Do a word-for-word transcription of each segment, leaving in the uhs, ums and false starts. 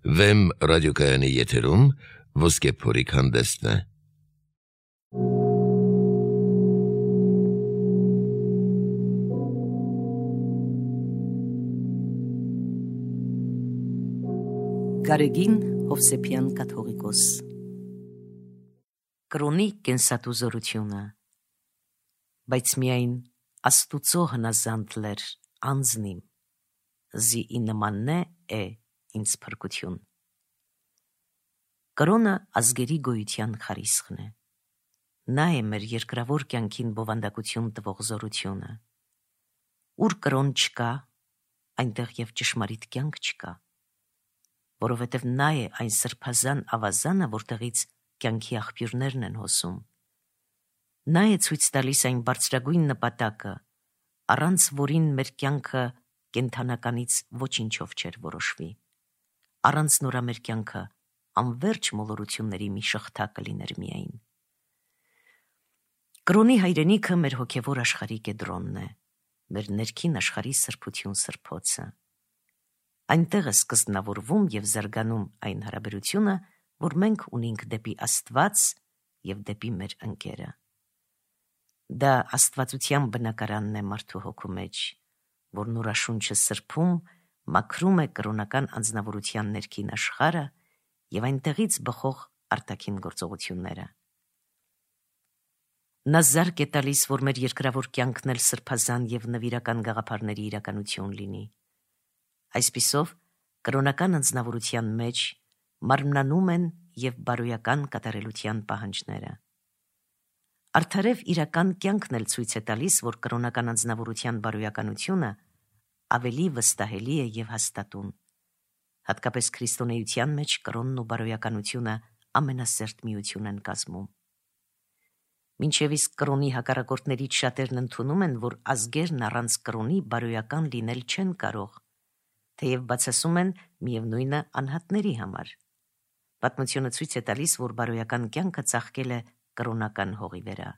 Վեմ ռադիոկայանի եթերում ոսկե փորիկ հանդեսն է։ Գարեգին Հովսեփյան կաթողիկոս Կրոնի կենսատուզորությունը, բայց միայն Աստուծո հնազանդ լեր անձնիմ, զի ի նմաննե է ինձ փրկություն։ Կրոնը ազգերի գոյության խարիսխն է, նա է մեր երկրավոր կյանքին բովանդակություն տվող զորությունը, ուր կրոն չկա, այնտեղ և ճշմարիտ կյանք չկա, որովհետև նա է այն սրբազան ավազանը, որտեղից կյանքի աղբյուրներն են հոսում։ Նա է ցույց տալիս այն բարձրագույն նպատակը, առանց որին մեր կյանքը կենդանականից ոչինչով չէր որոշվի, առանց նորա մեր կյանքը անվերջ մոլորությունների մի շղթա կլիներ միայն։ Կրոնի հայրենիքը մեր հոգևոր աշխարհի կեդրոնն է, մեր ներքին աշխարհի սրբություն սրբոցը։ Այնտեղ է սկզբնավորվում և զարգանում այն հարաբերությունը, որ մենք ունենք դեպի Աստված և դեպի մեր ընկերը։ Դա աստվածության բնակարանն է մարդու հոգու մեջ, որ նորաշունչը սրբում, մաքրում է կրոնական անձնավորության ներքին աշխարհը և այնտեղից բխող արտաքին գործողությունները։ Նա զարկ է տալիս, որ մեր երկրավոր կյանքն էլ սրբազան և նվիրական գաղափարների իրականություն լինի։ Այսպիսով, կրոնական անձնավորության մեջ մարմնանում են և բարոյական կատարելության պահանջները։ Արդարև իրական կյանքն էլ ցույց է տալիս, որ կրոնական անձնավորության բարոյականությունը ավելի վստահելի է և հաստատուն։ Հատկապես քրիստոնեության մեջ կրոնն ու բարոյականությունը ամենասերտ միություն են կազմում։ Մինչև իսկ կրոնի հակառակորդներից շատերն ընդունում են, որ ազգերն առանց կրոնի բարոյական լինել չեն կարող, թեև բացասում են միևնույնը անհատների համար։ Պատմությունը ցույց է տալիս, որ բարոյական կյանքը ծաղկել է կրոնական հողի վրա։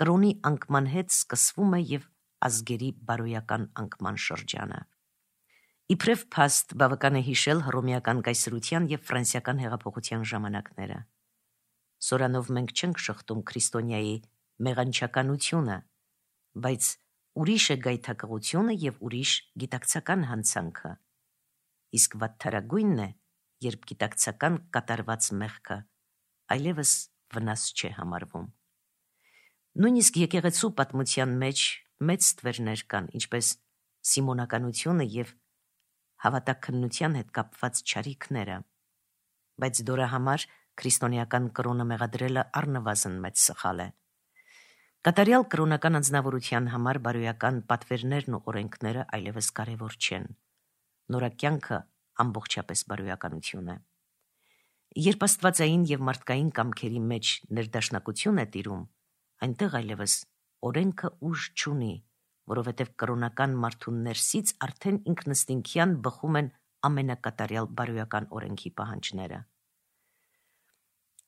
Կրոնի անկման հետ սկսվում է և ազգերի բարոյական անկման շրջանը։ Իբրև փաստ բավական է հիշել հռոմեական կայսրության և ֆրանսիական հեղափոխության ժամանակները։ Սորանով մենք չենք շղթում քրիստոնյայի մեղանչականությունը, բայց ուրիշ է գայթակղությունը և ուրիշ գիտակցական հանցանքը, իսկ վատթարագույնն է, երբ գիտակցական կատարված մեղքը այլևս վնաս չէ համարվում։ Նույնիսկ եկեղեցու պատմության մեջ մեծ ստվերներ կան, ինչպես սիմոնականությունը և հավատաքննության հետ կապված չարիքները, բայց դրա համար քրիստոնեական կրոնը մեղադրելը առնվազն մեծ սխալ է։ Կատարյալ կրոնական անձնավորության համար բարոյական պատվերներն ու օրենքները այլևս կարևոր չեն։ Նորա կյանքը ամբողջապես բարոյականություն է։ Երբ աստվածային և մարդկային կամքերի մեջ ներդաշնակություն է տիրում, այնտեղ այլևս օրենքը ուժ չունի, որովհետև կրոնական մարդու ներսից արդեն ինքնըստինքյան բխում են ամենակատարյալ բարոյական օրենքի պահանջները։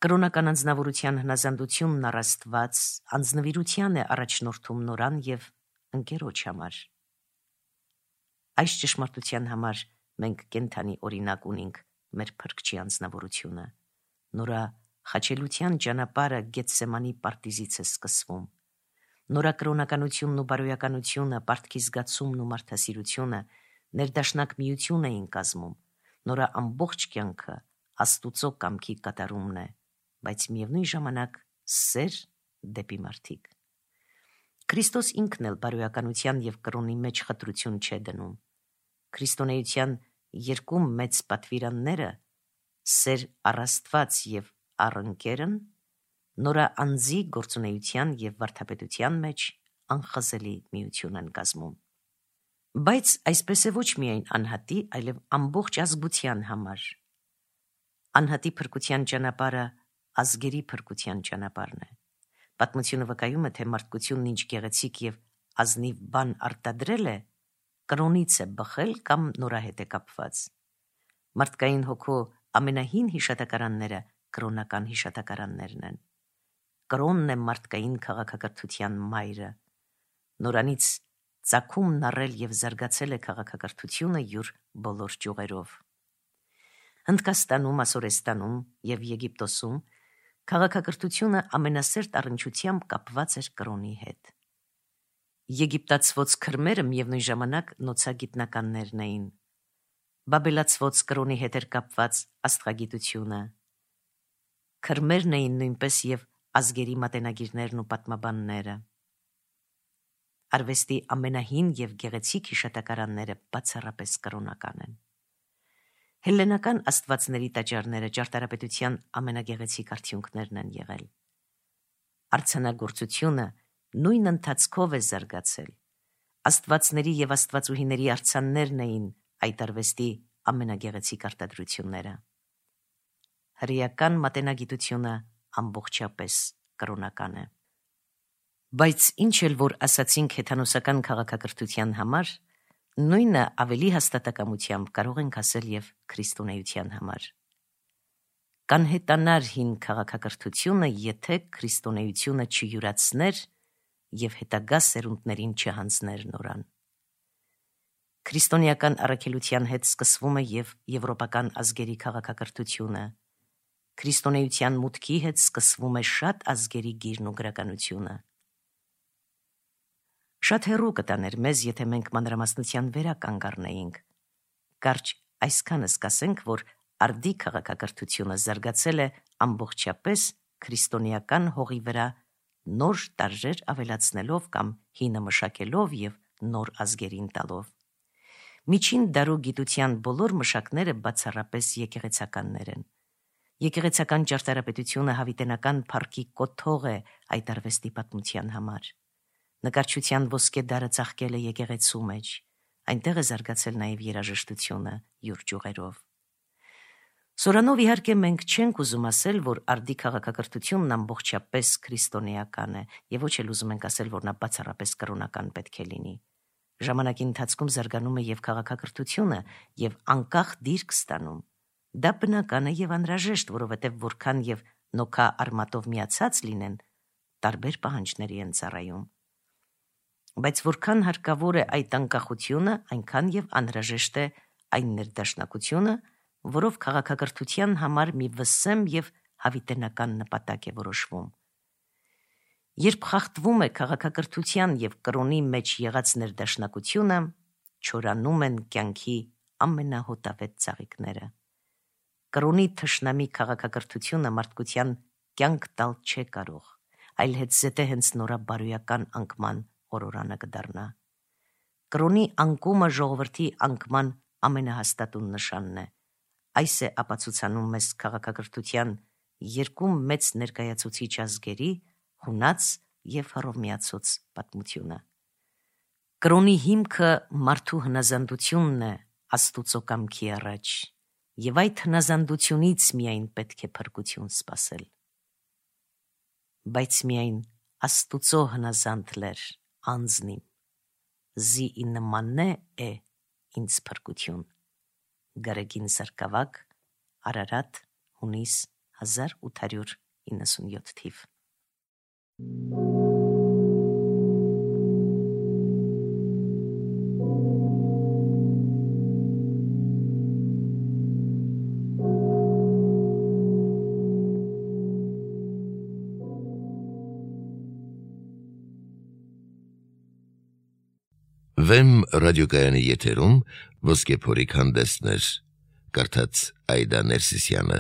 Կրոնական անձնավորության հնազանդությունն առ Աստված անձնվիրության է առաջնորդում նորան և ընկերոջ համար։ Այս ճշմարտության համար մենք կենդանի օրինակ ունենք մեր Փրկչի անձնավորությունը։ Նորա խաչելության ճանապարհը Գեթսեմանի պարտիզից է սկսվում։ Նորա կրոնականությունն ու բարոյականությունը, պարտքի զգացումն ու մարդասիրությունը ներդաշնակ միություն էին կազմում։ Նորա ամբողջ կյանքը Աստուծո կամքի կատարումն է, բայց միևնույն ժամանակ սեր դեպի մարդիկ։ Քրիստոս ինքն էլ բարոյականության և կրոնի մեջ խտրություն չէ դնում։ Քրիստոնեության երկու մեծ պատվիրանները՝ սեր առ Աստված և առ ընկերն, նորա անձի գործունեության և վարդապետության մեջ անխզելի միություն են կազմում։ Բայց այսպես է ոչ միայն անհատի, այլև ամբողջ ազգության համար։ Անհատի փրկության ճանապարհը ազգերի փրկության ճանապարհն է։ Պատմությունը վկայում է, թե մարդկությունն ինչ գեղեցիկ և ազնիվ բան արտադրել է, կրոնից է բխել կամ նորա հետ է կապված։ Մարդկային հոգու ամենահին հիշատակարանները կրոնական հիշատակարաններն են։ Կրոնն է մարդկային քաղաքակրթության մայրը։ Նորանից ծագումն առել և զարգացել է քաղաքակրթությունը յուր բոլոր ճյուղերով։ Հնդկաստանում, Ասորեստանում և Եգիպտոսում քաղաքակրթությունը ամենասերտ առնչությամբ կապված էր կրոնի հետ։ Եգիպտացվոց քրմերը միևնույն ժամանակ նոցագիտնականներն էին։ Բաբելացվոց կրոնի հետ էր կապված աստղագիտությունը։ Քրմերն էին նույնպես և ազգերի մատենագիրներն ու պատմաբանները։ Արվեստի ամենահին և գեղեցիկ հիշատակարանները բացառապես կրոնական են։ Հելլենական աստվածների տաճարները ճարտարապետության ամենագեղեցիկ արդյունքներն են եղել։ Արձանագործությունը նույն ընթացքով է զարգացել։ Աստվածների և աստվածուհիների արձաններն էին այդ արվեստի ամենագեղեցիկ արտադրությունները։ Հրեական մատենագիտությունը ամբողջապես կրոնական է։ Բայց ինչ էլ որ ասացինք հեթանոսական քաղաքակրթության համար, նույնը ավելի հաստատակամությամբ կարող ենք ասել և քրիստոնեության համար։ Կանհետանար հին քաղաքակրթությունը, եթե քրիստոնեությունը չյուրացներ և հետագա սերունդներին չհանձներ նորան։ Քրիստոնեական առաքելության հետ սկսվում է և եվրոպական ազգերի քաղաքակրթությունը։ Քրիստոնեության մուտքի հետ սկսվում է շատ ազգերի գիրն ու գրականությունը։ Շատ հեռու կտաներ մեզ, եթե մենք մանրամասնության վերականգ առնեինք։ Կարճ այսքանս կասենք, որ արդի քաղաքակրթությունը զարգացել է ամբողջապես քրիստոնեական հողի վրա, նոր տարրեր ավելացնելով կամ հինը մշակելով և նոր ազգերին տալով։ Միջին դարու գիտության բոլոր մշակները բացառապես եկեղեցականներ են։ Եկեղեցական ճարտարապետությունը հավիտենական փառքի կոթող է այդ արվեստի պատմության համար։ Նկարչության ոսկե դարը ծաղկել է եկեղեցու մեջ, այնտեղ է զարգացել նաև երաժշտությունը յուր ճյուղերով։ Սորանով իհարկե մենք չենք ուզում ասել, որ արդի քաղաքակրթությունն ամբողջապես քրիստոնեական է, և ոչ էլ ուզում ենք ասել, որ նա բացառապես կրոնական պետք է լինի։ Ժամանակի ընթացքում զարգանում է և քաղաքակրթությունը և անկախ դիրք ստանում։ Դա բնական է և անհրաժեշտ, որովհետև որքան և նոքա արմատով միացած լինեն, տարբեր պահանջների են ծառայում։ Բայց որքան հարկավոր է այդ անկախությունը, այնքան և անհրաժեշտ է այն ներդաշնակությունը, որով քաղաքակրթության համար մի վսեմ և հավիտենական նպատակ է որոշվում։ Երբ խախտվում է քաղաքակրթության և կրոնի մեջ եղած ներդաշնակությունը, չորանում են կյանքի ամենահոտավետ ծաղիկները։ Կրոնի թշնամի քաղաքակրթությունը մարդկության կյանք տալ չէ կարող, այլ հետզհետե հենց նորաբարոյական անկման օրորանը կդառնա։ Կրոնի անկումը ժողովրդի անկման ամենահաստատուն նշանն է։ Այս է ապացուցանում մեզ քաղաքակրթության երկու մեծ ներկայացուցիչ ազգերի՝ հունաց և հռոմեացուց պատմությունը։ Կրոնի հիմքը մարդու հնազանդությունն է Աստուծո կամքի առաջ, և այդ հնազանդությունից միայն պետք է փրկություն սպասել։ Բայց միայն Աստուծո հնազանդ լեր անձնիմ, զի ի նմանե է ինձ փրկություն։ Գարեգին Սարգսակ, Արարատ, հունիս հազար ութ հարյուր իննսունյոթ թիվ։ Վեմ ռադիոկայանի եթերում ոսկե փորիկ հանդեսներ, կարդաց Այդա Ներսիսյանը։